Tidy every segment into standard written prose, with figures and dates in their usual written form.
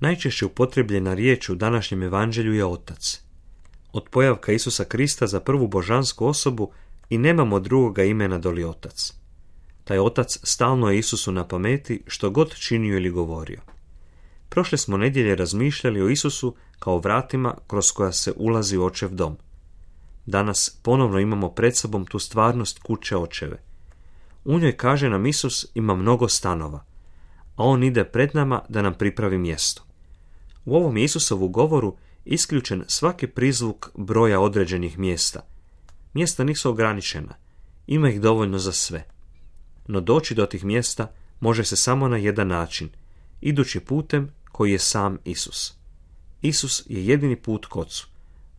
Najčešće upotrijebljena riječ u današnjem evanđelju je otac. Od pojavka Isusa Krista za prvu božansku osobu i nemamo drugoga imena doli otac. Taj otac stalno je Isusu na pameti što god činio ili govorio. Prošle smo nedjelje razmišljali o Isusu kao vratima kroz koja se ulazi u očev dom. Danas ponovno imamo pred sobom tu stvarnost kuće očeve. U njoj, kaže nam Isus, ima mnogo stanova, a on ide pred nama da nam pripravi mjesto. U ovom Isusovu govoru isključen svaki prizvuk broja određenih mjesta. Mjesta nisu ograničena, ima ih dovoljno za sve. No doći do tih mjesta može se samo na jedan način, idući putem koji je sam Isus. Isus je jedini put k Ocu.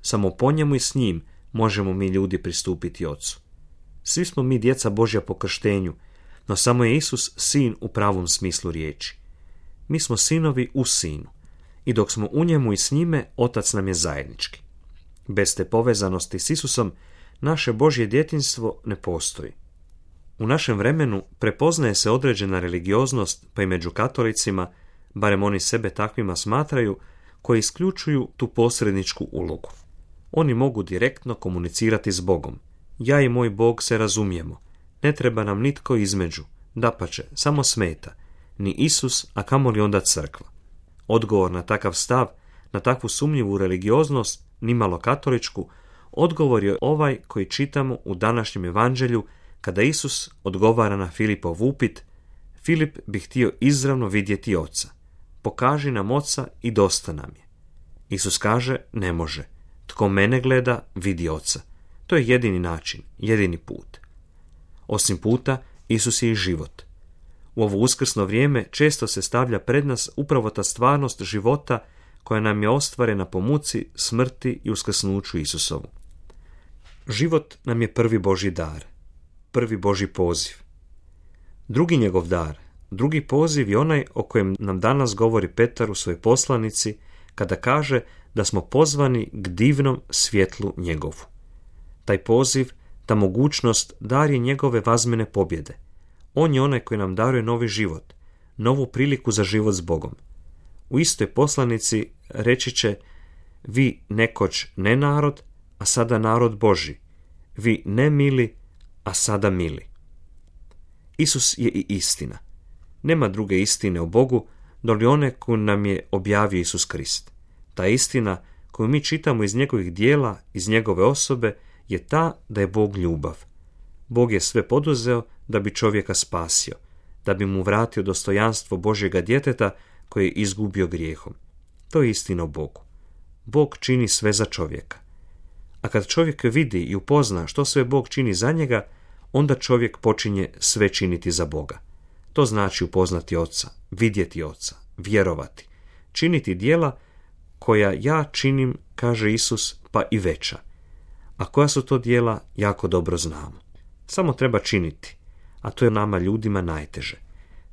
Samo po njemu i s njim možemo mi ljudi pristupiti Ocu. Svi smo mi djeca Božja po krštenju, no samo je Isus sin u pravom smislu riječi. Mi smo sinovi u sinu i dok smo u njemu i s njime, Otac nam je zajednički. Bez te povezanosti s Isusom naše Božje djetinjstvo ne postoji. U našem vremenu prepoznaje se određena religioznost, pa i među katolicima, barem oni sebe takvima smatraju, koji isključuju tu posredničku ulogu. Oni mogu direktno komunicirati s Bogom. Ja i moj Bog se razumijemo. Ne treba nam nitko između. Dapače, samo smeta. Ni Isus, a kamoli onda crkva. Odgovor na takav stav, na takvu sumnjivu religioznost, nimalo katoličku, odgovor je ovaj koji čitamo u današnjem evanđelju kada Isus odgovara na Filipov upit. Filip bi htio izravno vidjeti Oca. Pokaži nam Oca i dosta nam je. Isus kaže, ne može. Tko mene gleda, vidi Oca. To je jedini način, jedini put. Osim puta, Isus je i život. U ovo uskrsno vrijeme često se stavlja pred nas upravo ta stvarnost života koja nam je ostvarena po muci, smrti i uskrsnuću Isusovu. Život nam je prvi Božji dar, prvi Božji poziv. Drugi njegov dar, drugi poziv je onaj o kojem nam danas govori Petar u svojoj poslanici kada kaže da smo pozvani k divnom svjetlu njegovu. Taj poziv, ta mogućnost, dar je njegove vazmene pobjede. On je onaj koji nam daruje novi život, novu priliku za život s Bogom. U istoj poslanici reći će, vi nekoć ne narod, a sada narod Božji. Vi ne mili, a sada mili. Isus je i istina. Nema druge istine o Bogu, doli one koju nam je objavio Isus Krist. Ta istina koju mi čitamo iz njegovih dijela, iz njegove osobe, je ta da je Bog ljubav. Bog je sve poduzeo da bi čovjeka spasio, da bi mu vratio dostojanstvo Božjega djeteta koje je izgubio grijehom. To je istina o Bogu. Bog čini sve za čovjeka. A kad čovjek vidi i upozna što sve Bog čini za njega, onda čovjek počinje sve činiti za Boga. To znači upoznati Oca, vidjeti Oca, vjerovati, činiti djela koja ja činim, kaže Isus, pa i veća. A koja su to djela, jako dobro znamo. Samo treba činiti, a to je nama ljudima najteže.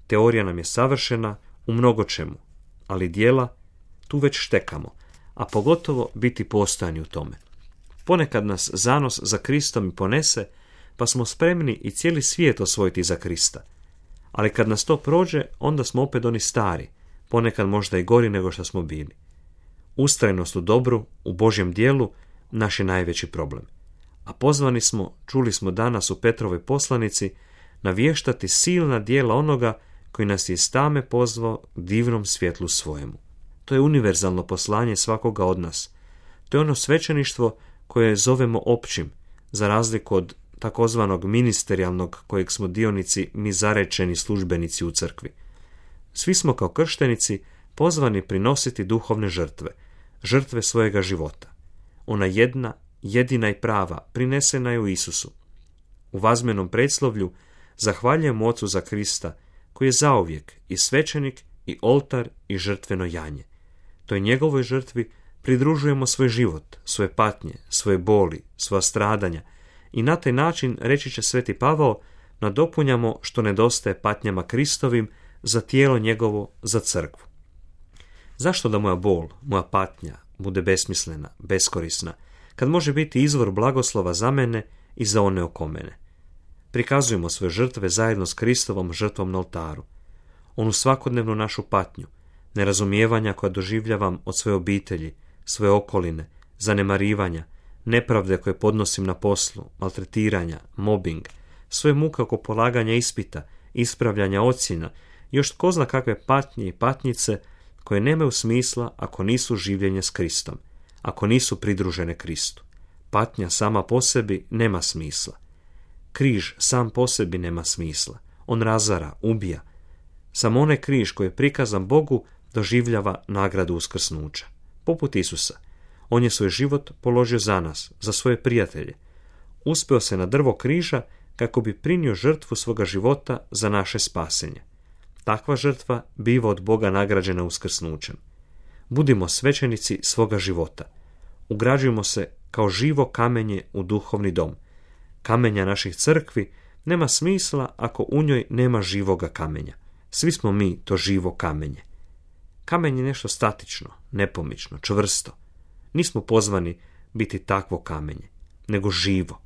Teorija nam je savršena u mnogo čemu, ali djela tu već štekamo, a pogotovo biti postojani u tome. Ponekad nas zanos za Kristom i ponese, pa smo spremni i cijeli svijet osvojiti za Krista. Ali kad nas to prođe, onda smo opet oni stari, ponekad možda i gori nego što smo bili. Ustrajnost u dobru, u Božjem dijelu, naš je najveći problem. A pozvani smo, čuli smo danas u Petrovoj poslanici, navještati silna djela onoga koji nas je iz tame pozvao divnom svjetlu svojemu. To je univerzalno poslanje svakoga od nas. To je ono svećeništvo koje zovemo općim, za razliku od takozvanog ministerijalnog kojeg smo dionici mi zarečeni službenici u crkvi. Svi smo kao krštenici pozvani prinositi duhovne žrtve, žrtve svojega života. Ona jedna, jedina i prava, prinesena je u Isusu. U vazmenom predslovlju zahvaljujemo Ocu za Krista, koji je zauvijek i svećenik i oltar i žrtveno janje. Toj njegovoj žrtvi pridružujemo svoj život, svoje patnje, svoje boli, svoja stradanja i na taj način, reći će Sveti Pavao, nadopunjamo što nedostaje patnjama Kristovim za tijelo njegovo, za crkvu. Zašto da moja bol, moja patnja bude besmislena, beskorisna, kad može biti izvor blagoslova za mene i za one oko mene? Prikazujemo svoje žrtve zajedno s Kristovom žrtvom na oltaru. Onu svakodnevnu našu patnju, nerazumijevanja koja doživljavam od svoje obitelji, svoje okoline, zanemarivanja, nepravde koje podnosim na poslu, maltretiranja, mobbing, svoje muke oko polaganja ispita, ispravljanja ocjena, još tko zna kakve patnje i patnjice koje nemaju smisla ako nisu življenje s Kristom, ako nisu pridružene Kristu. Patnja sama po sebi nema smisla. Križ sam po sebi nema smisla. On razara, ubija. Samo onaj križ koji je prikazan Bogu doživljava nagradu uskrsnuća. Poput Isusa. On je svoj život položio za nas, za svoje prijatelje. Uspeo se na drvo križa kako bi prinio žrtvu svoga života za naše spasenje. Takva žrtva biva od Boga nagrađena uskrsnućem. Budimo svećenici svoga života. Ugrađujemo se kao živo kamenje u duhovni dom. Kamenja naših crkvi nema smisla ako u njoj nema živoga kamenja. Svi smo mi to živo kamenje. Kamen je nešto statično, nepomično, čvrsto. Nismo pozvani biti takvo kamenje, nego živo.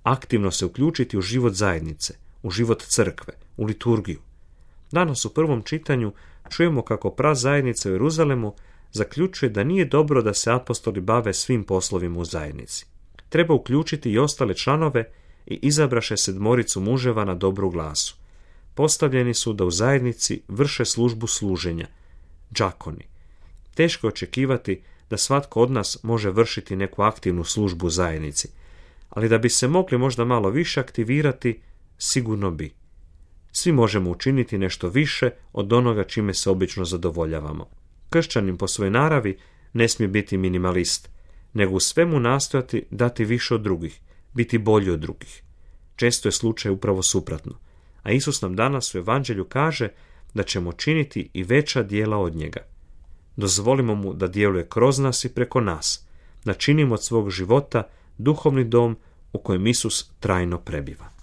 Aktivno se uključiti u život zajednice, u život crkve, u liturgiju. Danas u prvom čitanju čujemo kako prazajednica u Jeruzalemu zaključuje da nije dobro da se apostoli bave svim poslovima u zajednici. Treba uključiti i ostale članove i izabraše 7 muževa na dobru glasu. Postavljeni su da u zajednici vrše službu služenja, džakoni. Teško je očekivati da svatko od nas može vršiti neku aktivnu službu u zajednici, ali da bi se mogli možda malo više aktivirati, sigurno bi. Svi možemo učiniti nešto više od onoga čime se obično zadovoljavamo. Kršćanin po svojoj naravi ne smije biti minimalist, nego u svemu nastojati dati više od drugih, biti bolji od drugih. Često je slučaj upravo suprotno, a Isus nam danas u Evanđelju kaže da ćemo činiti i veća djela od njega. Dozvolimo mu da djeluje kroz nas i preko nas, da činimo od svog života duhovni dom u kojem Isus trajno prebiva.